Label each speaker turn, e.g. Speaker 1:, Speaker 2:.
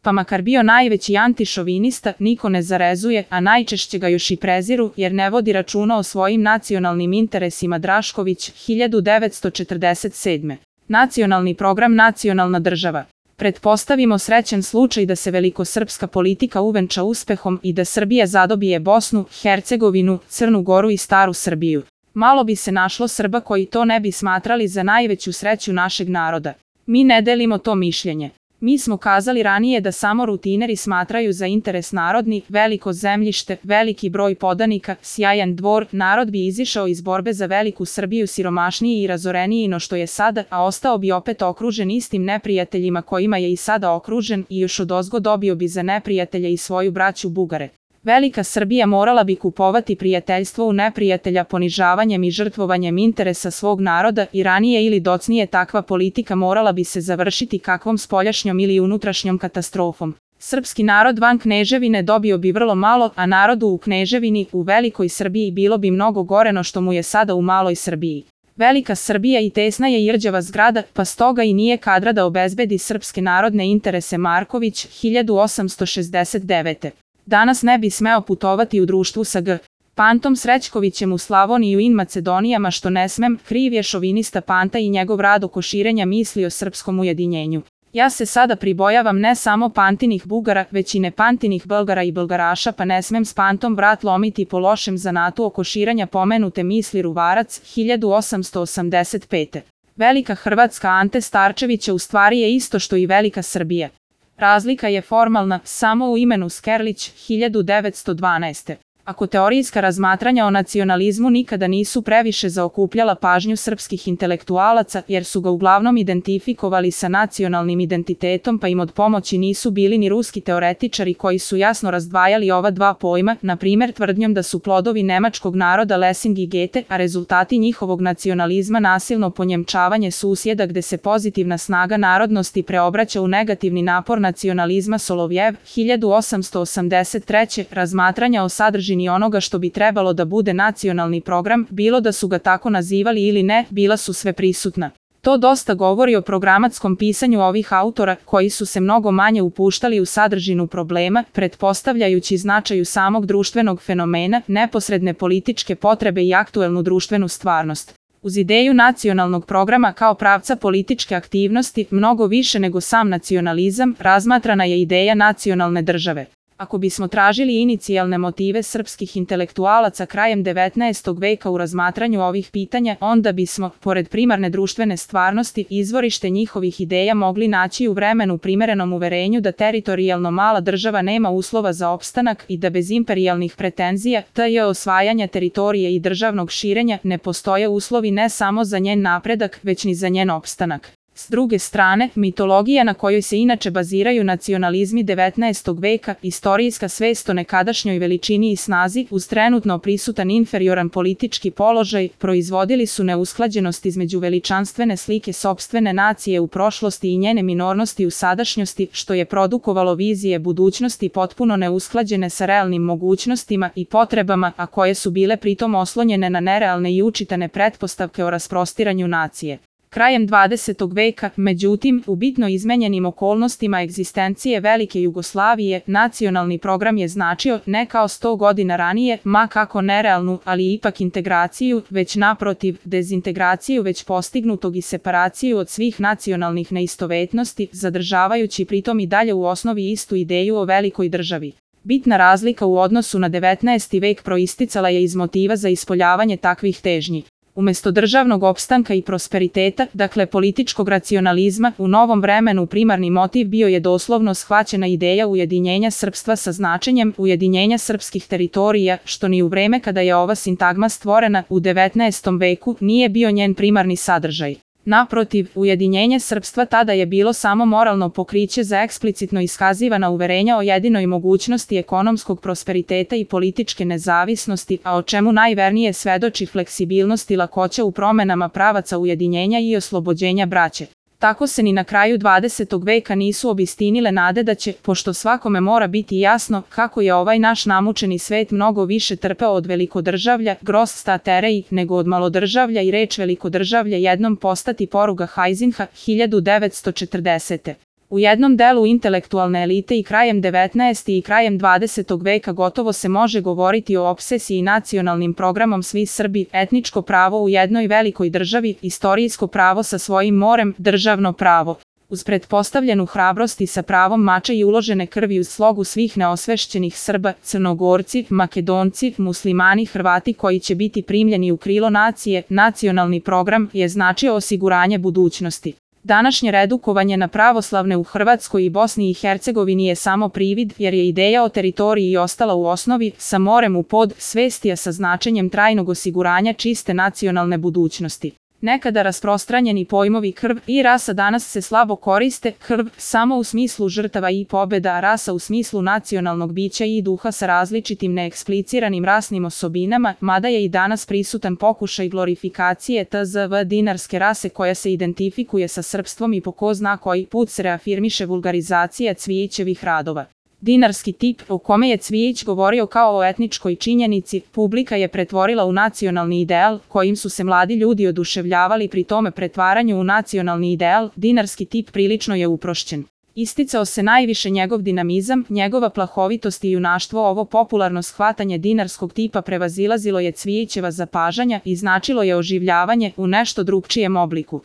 Speaker 1: Pa makar bio najveći antišovinista, niko ne zarezuje, a najčešće ga još i preziru, jer ne vodi računa o svojim nacionalnim interesima. Drašković, 1947. Nacionalni program, nacionalna država. Pretpostavimo srećan slučaj da se velikosrpska politika uvenča uspehom i da Srbija zadobije Bosnu, Hercegovinu, Crnu Goru i Staru Srbiju. Malo bi se našlo Srba koji to ne bi smatrali za najveću sreću našeg naroda. Mi ne delimo to mišljenje. Mi smo kazali ranije da samo rutineri smatraju za interes narodni, veliko zemljište, veliki broj podanika, sjajan dvor, narod bi izišao iz borbe za veliku Srbiju siromašniji i razoreniji no što je sada, a ostao bi opet okružen istim neprijateljima kojima je i sada okružen i još odozgo dobio bi za neprijatelje i svoju braću Bugare. Velika Srbija morala bi kupovati prijateljstvo u neprijatelja ponižavanjem i žrtvovanjem interesa svog naroda i ranije ili docnije takva politika morala bi se završiti kakvom spoljašnjom ili unutrašnjom katastrofom. Srpski narod van Kneževine dobio bi vrlo malo, a narodu u Kneževini, u Velikoj Srbiji bilo bi mnogo gore no što mu je sada u Maloj Srbiji. Velika Srbija i tesna je i rđava zgrada, pa stoga i nije kadra da obezbedi srpske narodne interese. Marković, 1869. Danas ne bi smeo putovati u društvu sa G. Pantom Srećkovićem u Slavoniju in Macedonijama što ne smem, kriv je šovinista Panta i njegov rad oko širenja misli o srpskom ujedinjenju. Ja se sada pribojavam ne samo Pantinih Bugara, već i nepantinih Belgara i Belgaraša, pa ne smem s Pantom vrat lomiti po lošem zanatu oko širenja pomenute misli. Ruvarac, 1885. Velika Hrvatska Ante Starčevića u stvari je isto što i Velika Srbija. Razlika je formalna, samo u imenu. Skerlić, 1912. Ako teorijska razmatranja o nacionalizmu nikada nisu previše zaokupljala pažnju srpskih intelektualaca, jer su ga uglavnom identifikovali sa nacionalnim identitetom, pa im od pomoći nisu bili ni ruski teoretičari koji su jasno razdvajali ova dva pojma, na primjer tvrdnjom da su plodovi nemačkog naroda Lessing i Goethe, a rezultati njihovog nacionalizma nasilno ponjemčavanje susjeda gde se pozitivna snaga narodnosti preobraća u negativni napor nacionalizma. Solovjev, 1883. Razmatranja o sadržini onoga što bi trebalo da bude nacionalni program, bilo da su ga tako nazivali ili ne, bila su sve prisutna. To dosta govori o programatskom pisanju ovih autora, koji su se mnogo manje upuštali u sadržinu problema, pretpostavljajući značaju samog društvenog fenomena, neposredne političke potrebe i aktuelnu društvenu stvarnost. Uz ideju nacionalnog programa kao pravca političke aktivnosti, mnogo više nego sam nacionalizam, razmatrana je ideja nacionalne države. Ako bismo tražili inicijalne motive srpskih intelektualaca krajem 19. veka u razmatranju ovih pitanja, onda bismo, pored primarne društvene stvarnosti, izvorište njihovih ideja mogli naći u vremenu primerenom uverenju da teritorijalno mala država nema uslova za opstanak i da bez imperijalnih pretenzija, t.j. osvajanja teritorije i državnog širenja, ne postoje uslovi ne samo za njen napredak, već ni za njen opstanak. S druge strane, mitologija na kojoj se inače baziraju nacionalizmi 19. veka, istorijska svest o nekadašnjoj veličini i snazi, uz trenutno prisutan inferioran politički položaj, proizvodili su neusklađenost između veličanstvene slike sopstvene nacije u prošlosti i njene minornosti u sadašnjosti, što je produkovalo vizije budućnosti potpuno neusklađene sa realnim mogućnostima i potrebama, a koje su bile pritom oslonjene na nerealne i učitane pretpostavke o rasprostiranju nacije. Krajem 20. veka, međutim, u bitno izmenjenim okolnostima egzistencije Velike Jugoslavije, nacionalni program je značio, ne kao 100 godina ranije, ma kako nerealnu, ali ipak integraciju, već naprotiv, dezintegraciju već postignutog i separaciju od svih nacionalnih neistovetnosti, zadržavajući pritom i dalje u osnovi istu ideju o velikoj državi. Bitna razlika u odnosu na 19. vek proisticala je iz motiva za ispoljavanje takvih težnji. Umesto državnog opstanka i prosperiteta, dakle političkog racionalizma, u novom vremenu primarni motiv bio je doslovno shvaćena ideja ujedinjenja srpstva sa značenjem ujedinjenja srpskih teritorija, što ni u vreme kada je ova sintagma stvorena, u 19. veku, nije bio njen primarni sadržaj. Naprotiv, ujedinjenje srpstva tada je bilo samo moralno pokriće za eksplicitno iskazivana uverenja o jedinoj mogućnosti ekonomskog prosperiteta i političke nezavisnosti, a o čemu najvernije svedoči fleksibilnost i lakoća u promenama pravaca ujedinjenja i oslobođenja braće. Tako se ni na kraju 20. veka nisu obistinile nade da će, pošto svakome mora biti jasno kako je ovaj naš namučeni svet mnogo više trpeo od velikodržavlja, Großstaaterei, nego od malodržavlja i reč velikodržavlja jednom postati poruga Heisinha, 1940. U jednom delu intelektualne elite i krajem 19. i krajem 20. veka gotovo se može govoriti o opsesiji nacionalnim programom svi Srbi, etničko pravo u jednoj velikoj državi, istorijsko pravo sa svojim morem, državno pravo. Uz pretpostavljenu hrabrost i sa pravom mača i uložene krvi uz slogu svih neosvešćenih Srba, Crnogorci, Makedonci, Muslimani, Hrvati koji će biti primljeni u krilo nacije, nacionalni program je značio osiguranje budućnosti. Današnje redukovanje na pravoslavne u Hrvatskoj i Bosni i Hercegovini je samo privid, jer je ideja o teritoriji ostala u osnovi, sa morem u pod, svestija sa značenjem trajnog osiguranja čiste nacionalne budućnosti. Nekada rasprostranjeni pojmovi krv i rasa danas se slabo koriste, krv samo u smislu žrtava i pobjeda, a rasa u smislu nacionalnog bića i duha sa različitim neekspliciranim rasnim osobinama, mada je i danas prisutan pokušaj glorifikacije tzv. dinarske rase koja se identifikuje sa srpstvom i po ko zna koji put se reafirmiše vulgarizacija Cvijićevih radova. Dinarski tip, o kome je Cvijić govorio kao o etničkoj činjenici, publika je pretvorila u nacionalni ideal, kojim su se mladi ljudi oduševljavali, pri tome pretvaranju u nacionalni ideal, dinarski tip prilično je uprošćen. Isticao se najviše njegov dinamizam, njegova plahovitost i junaštvo. Ovo popularno shvatanje dinarskog tipa prevazilazilo je Cvijićeva zapažanja i značilo je oživljavanje u nešto drugčijem obliku.